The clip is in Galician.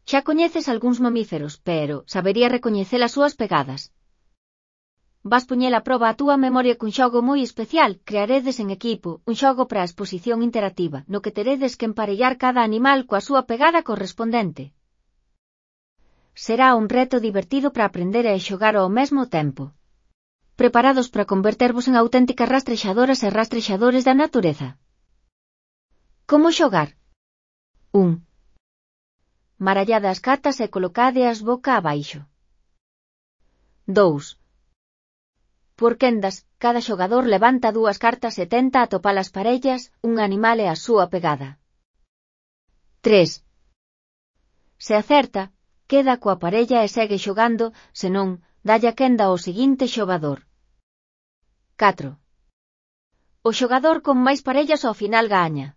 Xa coñeces algúns mamíferos, pero sabería recoñecer as súas pegadas. Vas poñer a proba a túa memoria cun xogo moi especial. Crearedes en equipo un xogo para a exposición interactiva, no que teredes que emparellar cada animal coa súa pegada correspondente. Será un reto divertido para aprender e xogar ao mesmo tempo. Preparados para convertervos en auténticas rastrexadoras e rastrexadores da natureza? Como xogar? 1. Marallade as cartas e colocádeas boca abaixo. 2. Por quendas, cada xogador levanta 2 cartas e tenta atopalas parellas, un animal e a súa pegada. 3. Se acerta, queda coa parella e segue xogando, se non, dalle a quenda ao seguinte xogador. 4. O xogador con máis parellas ao final gaña.